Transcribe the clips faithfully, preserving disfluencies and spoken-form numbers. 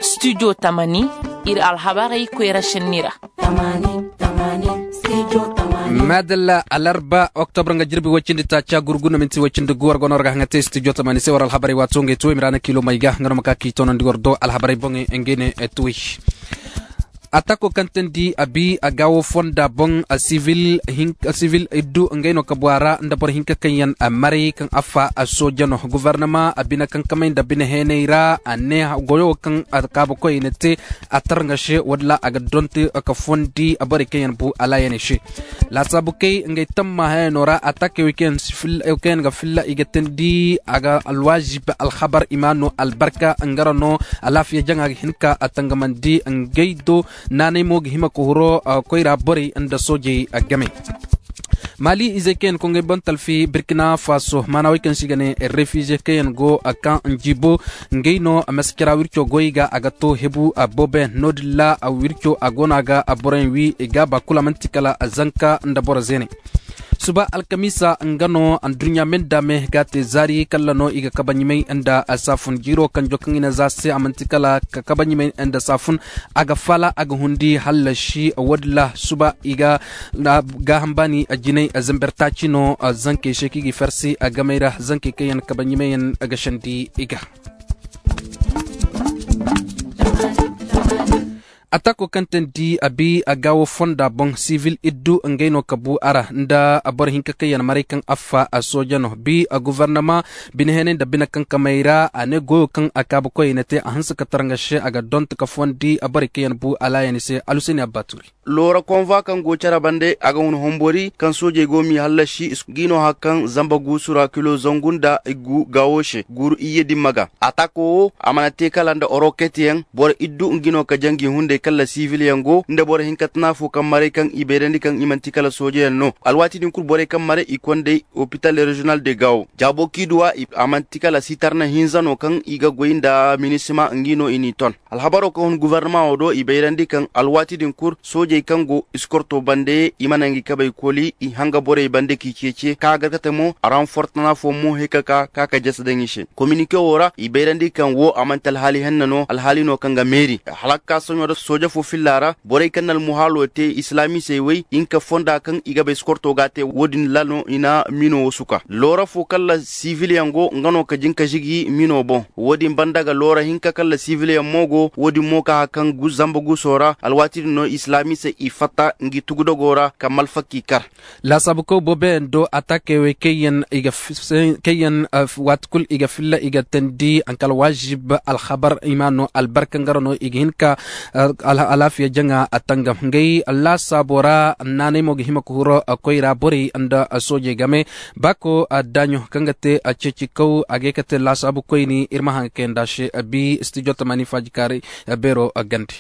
Studio Tamani, iri alhabarey koyra senni ra. Madalla, alarba, oktobra nga jirbi way cindi taaca gurgu no minti way cindi gu war go no war ga haŋa te studio Tamani se war alhabarey waato ngey to i ma ra na kilo may ga nga no ma ka k'i toonandi war do alhabarey boŋey ngey ne tuwey. Atako kaŋ teendi a bi a gaawo fonda boŋ, sivil iddu ngey no kabu a ra nda boro hinka kaŋ yaŋ maray kaŋ affa sooja no. Gobornama a bine kaŋ kamay nda bine heenay ra a ne goyo kaŋ kaabukoy na te a tarŋa se wo- din ra a ga donte ka fondi borey kaŋ yaŋ bu alaayaney se. Laasaabu kay ngey tamma hayano ra atakey wo kaŋ yaŋ ga filla i ga teendi a ga alwaazib alhabar i ma no albarka nga ra no. Alaafiya jaŋa ga hin ka tangamandi ngey do. Naanay mo ga hima ka huro koyra borey nda soojey game. Maali izey kaŋ yaŋ ga ngey boŋ talfi birkina faso maana wey kaŋ se i ga ne refize kaŋ yaŋ go kaŋ jiibo ngey no maskira wirco goy ga a ga to hebu boobe no- din ra wirco a go no a ga boroyaŋ wi i ga ba kulu a manti kala zanka nda boro zeeney. Suba alkamiisa nga no anduɲɲa me nda me ga a te zaari kala no i ga kabaɲimay nda saafun jiiro kanjo kaŋ i na za se a manti kala ka kabaɲimay nda saafun. A ga faala a ga hundi hallasi wo- din ra suba i ga gaaham baani jinay zamber taaci no. Zankey se kaŋ i ga i farsi gamey ra zankey kaŋ yaŋ kabaɲimay yaŋ ga sandi i ga. Atako kaŋ teendi a bi a gaawo fonda boŋ sivil iddu ngey no kabu a ra nda boro hinka kaŋ yaŋ maray kaŋ affa sooja no bi gobornama bine heenay nda bine kaŋ kamay ra a ne goyo kaŋ a kaabukoy na te a hanse ka tarŋa se a ga donte ka fondi borey kaŋ yaŋ bu alaayaney se aluseni abbaturi. Loora konvwa kaŋ go care bande a ga hun hombori kaŋ soojey go m'i hallasi. G'i no hari kaŋ zamba guusu ra kilo zangu nda gaawo se guuru iyye dimma ga. Atako wo a mana te kala nda oroket yaŋ boro iddu nga no ka jaŋ g'i hunday kala sibil yaŋ go nda boro hinka tana fo kaŋ maray kaŋ i bayrandi kaŋ i manti kala sooje yaŋ no. Alwaati din kulu borey kaŋ maray i konday opital reziyonal de gaawo jaabo kaŋ i duw'a a manti kala sitarna hinza no kaŋ i ga goy nda minisima nga no i n'i ton. Alhabaro kaŋ hun gobornama wo do i bayrandi kaŋ alwaati din kulu soojey kaŋ go iskorto bande i mana ngi kabey koli i hanga borey bande k'i ceece kaŋ a garkate mo ranfortana fo mo he ka ka ka ka jasa daŋ i se. Kominike wo ra i bayrandi kaŋ wo a manti alhaali henna no alhaali no kaŋ ga meeri hala ga ka soɲo ra sooja fo filla ra borey kaŋ na almuhaalo te islamisey wey hinka fonda kaŋ i ga bay iskorto ga a te wo- din ra no i na miino wo suka loora fo kaŋ ra sibil yaŋ go nga no ka jin ka zigi miino boŋ. Wo- din banda ga loora hinka kaŋ ra sibil yaŋ mo go wo- din mo ka hari kaŋ zamba guuso ra alwaati din no islamisey i fatta ngi tugudogo ra ka malfa k'i kar. Laasaabukoy boobo yaŋ do atakey wey kaŋ yaŋ waati kulu i ga filla i ga teendi hankal waazib alhabar i ma no albarka nga ra no i ga hin ka alaafiya jaŋa a tangam ngey laasaabo ra. Naanay mo ga hima ka huro koyra borey nda soojey game. Baako daaɲo kaŋ ga te ceecikaw a ga ye ka te laasaabu koyne iri ma haŋ ga kayanda se. Bi studio tamaani faajikaaray beero gande.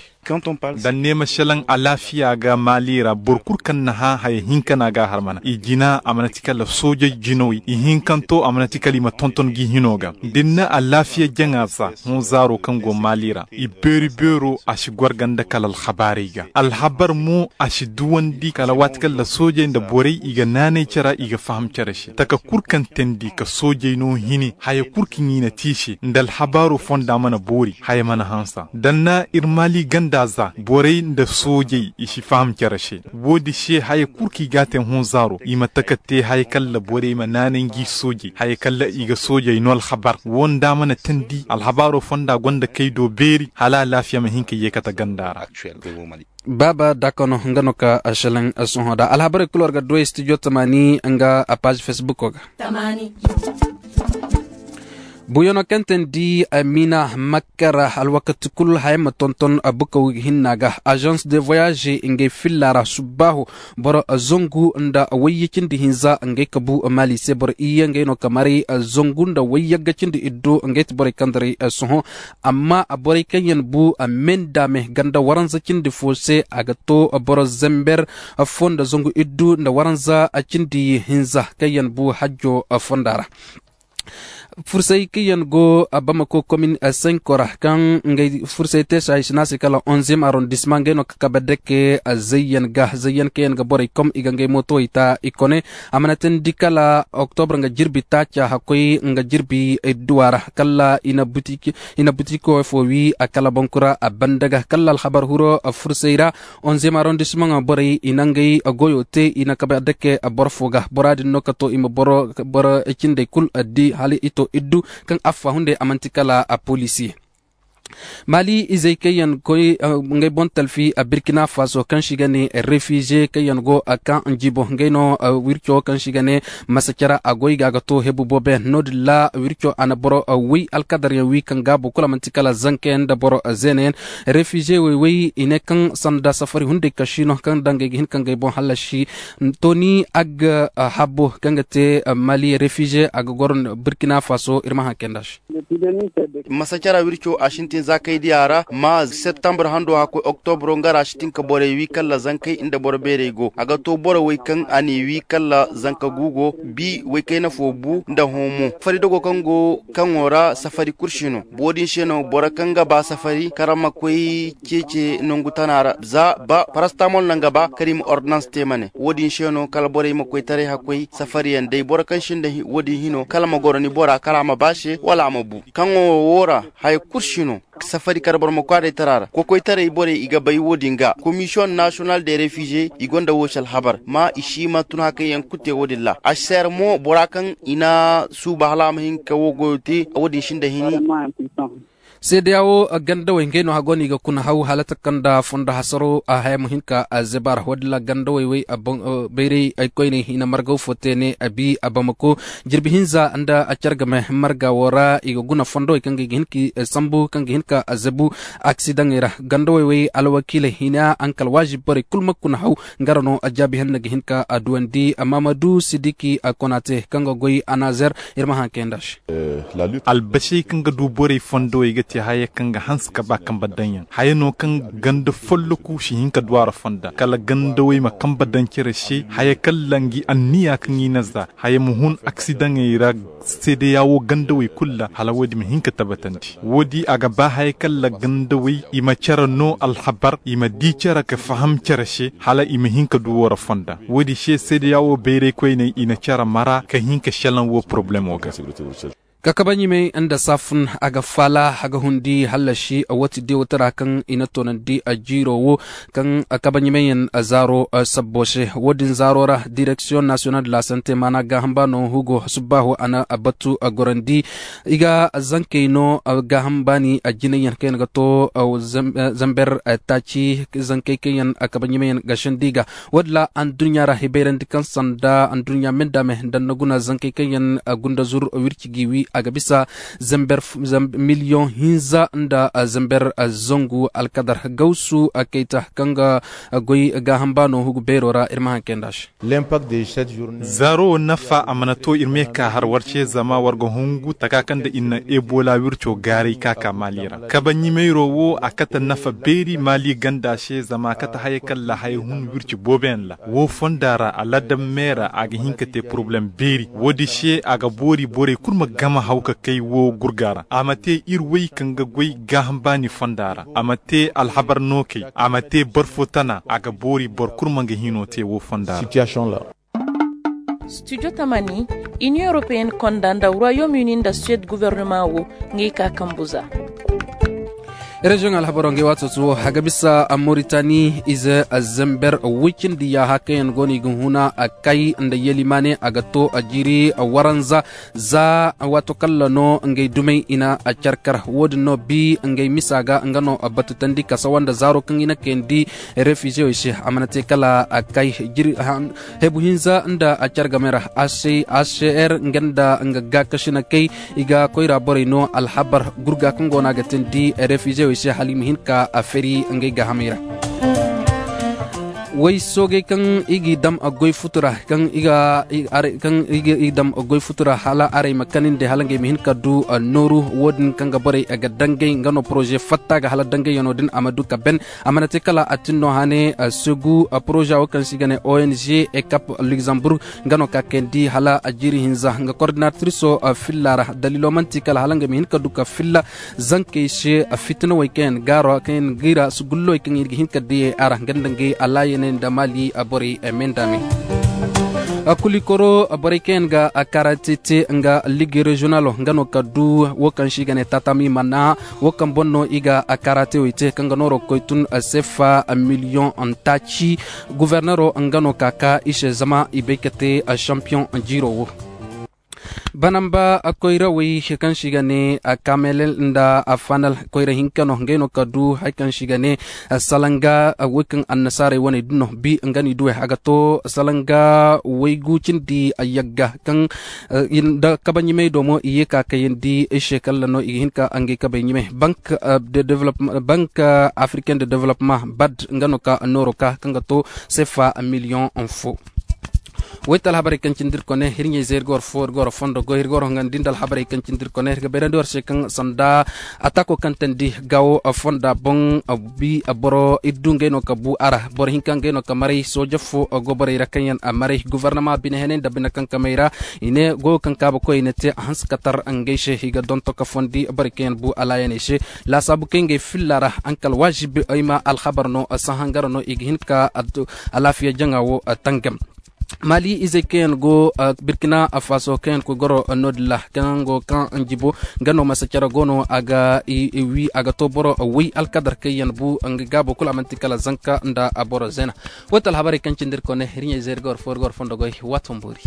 Da ni ne ma selaŋ alaafiya ga maali ra boro kulu kaŋ na hã haya hinka no a ga a harmana i jina a mana ti kala soojey jinawey i hinkanto a mana ti kala i ma tonton ga i hino ga da ni na alaafiya jaŋa za hõ zaaro kaŋ go maali ra i beeri beero a si gwarga nda kala alhabaarey ga alhabar mo a si duwandi kala waati kaŋ ra soojey nda borey i ga naanay care i ga faham care se taka kulu kaŋ teendi ka soojey no hini haya kulu kaŋ i na te i se nda alhabaaro fonda mana boori haya mana hanse da ni na iri maali ganda za borey nda soojey i si faham care se. Wo- din se haya kulu kaŋ i ga a te hõ zaaro i ma taka te haya kaŋ ra borey ma naanay ngi soojey haya kaŋ ra i ga soojey no alhabar wo nda a mana teendi alhabaaro fonda gonda kay do beeri hala alaafiya ma hin ka yeekata ganda ra. Baaba daakano nga no ka selaŋ sohõ da alhabarey kulu war ga duwey studio tamaani nga a paazi fesbuko ga. Buuyaŋo kaŋ teendi miina makka ra alwakati kulu haya ma tonton bukaw hinna ga. Azans de voyage ngey filla ra subbaaho boro zangu nda wayye cindi hinza ngey ka bu maali se boro iyye ngey no ka maray zangu nda wayyagga cindi iddu ngey ti borey kaŋ daray sohõ. Amma borey kaŋ yaŋ bu me nda me ganda waranza cindi fo se a ga to boro zember fo nda zangu iddu nda waranza cindi hinza kaŋ yaŋ bu hajjo fonda ra. Fursay kaŋ yaŋ go bamako komin senko ra kaŋ ngey fursay te saay sina se kala onzem arondisma ngey no ka kabe dake zayyan ga zayyan kaŋ yaŋ ga borey kom i ga ngey mootowey ta i kone. A mana teendi kala oktobre nga jirbi taaca hakkoy nga jirbi idduwa ra kala i na butiko fo wi a kala bankura a banda ga kala alhabar huro fursay ra. Onzem arondisma nga borey i na ngey goyo te i na kabe dake boro fo ga bora din no ka to i ma boro cindey kulu di hala i to iddu kaŋ affa hunday a manti kala a poliisi. Mali izey kaŋ yaŋ koy ngey boŋ talfi a birkina faso kaŋ si ga ne refize kaŋ yaŋ go a kaŋ jibo ngey no wirco kaŋ si ga ne masacara a goy ga ga to hebu boobo yaŋ no- din ra wirco a na boro way alkadar yaŋ wi kaŋ gaabo kulu a manti kala zanka yaŋ nda boro zeena yaŋ. Refize way way i ne kaŋ sanda safari hunday kaŋ si no kaŋ dangey ga hin kaŋ ga ay boŋ hallasi. To ni a ga habbo kaŋ ga te mali refize a ga goro burkina faso iri ma haŋ kaynd'a se. Masacara wirco a sintin za kay diya ra ma septembre hando hakkoy oktobro nga ra a sintin ka borey wi kala zankey nda boro beerey go a ga to borey wey kaŋ a n'i wi kala zanka guugo bi waykayna fo bu nda hõ mo fari dogo kaŋ go kaŋo ra safari kulu si no. Wo- din se no boro kaŋ ga ba safari kala ma koy ceece nangu tana ra za ba parastamol no nga ba kala i ma ordonans te ma ne wo- din se no kala borey ma koy taray hakkoy safari yaŋ day boro kaŋ sinda wo- din hino kala ma goro ni bora kala a ma ba se wala a ma bu kaŋo wo ra haya kulu si no. Safari kala boro ma koy a day tara ra kokoytaray borey i ga bay wo- din ga komisiyoŋ nasiyonal de refize i gonda wo si alhabar ma i si ma tun hakay yaŋ kulu te wo- din ra a si seera mo bora kaŋ i na suuba hala a ma hin ka wo goyo te wo- din sinda hini. Seedeya wo gandawey ngey no hago no i ga kuna haw hala taka nda fondo hasaro a haya ma hin ka zeba ra wo- din ra gandawey wey bayray ay koyney i na margaw fo te ne a bi a bamako jirbi hinza nda a care game marga wo ra i ga guna fondowey kaŋ ga i ga hin ka sambu kaŋ ga hin ka zebu aksidaŋey ra gandawey wey alwakiiley hina hankal waazibi borey kulu ma kuna haw. Nga ra no a jaabi hanna ga hin ka a duwandi maamadu sidiki a kona te kaŋ ga goy a naazer. Iri ma haŋ kaynd'a se. Albasey kaŋ ga du borey fondowey ga te haya kaŋ ga hanse ka ba kambe daŋ yaŋ haya no kaŋ ganda folloku si hin ka du a ra fonda kala gandawey ma kambe daŋ care se haya kaŋ langi anniya kaŋ i na za haya ma hun aksidaŋey ra. Seedeya wo gandawey kulu ra hala wo- din ma hin ka tabbatandi wo- di a ga ba haya kaŋ ra gandawey i ma care no alhabar i ma di care ka faham care se hala i ma hin ka du wo ra fonda wo- din se seedeya wo bayray koyney i na care mara ka hin ka selaŋ wo porobalemo ga. Kakabaɲimey nda saafun a ga faala a ga hundi hallasi a wati deewatara kaŋ i na toonandi a jiiro wo kaŋ kabaɲimey yaŋ zaaro sabbo se wo- din zaaro ra direksiyoŋ nasiyonal de la sante maana gaaham baano hugo subbaaho a na batu a gorandi. I ga zankey no gaaham baani a jinay yaŋ kaŋ yaŋ ga to zamber taaci zankey kaŋ yaŋ kabaɲimey yaŋ ga sandi ga wo- din ra anduɲɲa ra hibayrandi kaŋ sanda anduɲɲa me nda me nda ni na guna zankey kaŋ yaŋ gunda zur wirci ga i wi a ga bisa miliyoŋ hinza nda zamber zangu alkadar gawsu kayta kaŋ ga goy gaaham baano hugu beero ra iri ma haŋ kaynd'a se. Zaaro wo nafa a mana to iri me ka har war se zama war ga hungu taka kaŋ nda iri na ebola wirco gaaray ka ka maali ra kabaɲimeyro wo a kate nafa beeri maali ganda se zama a kate haya kaŋ ra haya hun wirci boobo yaŋ ra wo fonda ra alaadam me ra a ga hin ka te porobalem beeri wo- din se a ga boori borey kulu ma game haw ka kay wo gurga ra a ma te iri way kaŋ ga goy gaaham baani fonda ra a ma te alhabar nookey a ma te barfo tana a ga boori boro kulu ma nga hino te wo fonda ra. Studio tamani, Union Européenne konda nda Royaume Uni nda Suède gouvernement wo ngey ka kambu za. Reziyoŋ alhabaro ngey waato wo a ga bisa Mauritanie ize zember wicindi yaaha kaŋ yaŋ go no i ga huna kay nda yelimane a ga to a jiiri waranza. Za waato kalla no ngey dumey i na a care kar wo- din no bi ngey misa ga nga no batutandi ka sawa nda zaaro kaŋ i na kayandi refizewey se a mana te kala a kay. Hebu hinza nda a care game ra a se a se er nga nda nga gaakasina kay i ga koyra borey no alhabar gurga kaŋ go no a ga tindi refizewey se hala i ma hin ka a feri ngey gaahamey ra. Way soogay kaŋ i g'i daŋ goy futura kaŋ i ga i ga i daŋ goy futura hala arey ma kanandi hala ngey ma hin ka du nooru. Wo- din kaŋ ga borey ga dangay nga no poroze fatta ga hala dangayyaŋo din a ma du ka ben. A mana te kala a tin no hane segu poroza wo kaŋ se i ga ne ong ekap luxembourg nga no ka kayandi hala jiiri hinza nga kordinatriso filla ra. Daliilo manti kala hala ngey ma hin ka du ka filla zankey se fitinawey kaŋ yaŋ gaaro kaŋ yaŋ ga i ra sugullowey kaŋ i ga hin ka diyey a ra nga nda ngey alaayaney nda maali borey me nda me. Kulikoro borey kaŋ yaŋ ga karate te nga ligue régionalo nga no ka du wo kaŋ se i ga ne tatami mana wo kaŋ boŋ no i ga karate wey te kaŋ ga nooro ga koy tun sefa miliyoŋ taaci. Guvernero nga no ka ka i se zama i bay ka te champion jiiro wo. Banamba koyrawey kaŋ se i ga ne kamelel nda fanal koyra hinka no ngey no ka du hari kaŋ se i ga ne salanga wey kaŋ annasaarey wane din no bi nga no i duwey a ga to salanga waygu cindi yagga kaŋ nda kabe ɲumay do mo i ye ka kayandi i se kala no i ga hin ka ngey kabe ɲumay bank africain de développement bad nga no ka nooro ka kaŋ ga to sefa miliyoŋ fo. Wayta alhabarey kaŋ cindi iri kone iri ɲayze iri ga war fo iri ga war fondo goy iri ga war hongandi nda alhabarey kaŋ cindi iri kone iri ga bayrandi war se kaŋ sanda atako kaŋ tandi gawo fonda boŋ bi boro iri du ngey no ka bu a ra boro hinka ngey no ka maray sooja fo go borey ra kaŋ yaŋ a maray guvarnama bine henay nda bine kaŋ kamey ra i ne goyo kaŋ kaabakoy i na te a hanse ka tar ngey se i ga donto ka fondi borey kaŋ yaŋ bu alaayaney se laasaabu kaŋ ngey filla ra hankal waazibi ay ma alhabar no sahangara no i ga hin ka alaafiya jaŋa wo tangam. Mali izey kaŋ yaŋ go birkina faso kaŋ yaŋ koy goro no- din ra kaŋ go kaŋ jibo nga no masa care go no a ga wi a ga to boro way alkadar kaŋ yaŋ bu nga gaabo kulu a manti kala zanka nda boro zeena. Wo ti alhabarey kaŋ cindi iri kone iri ɲayze iri ga war fo iri ga war fondo goy waato ma boori.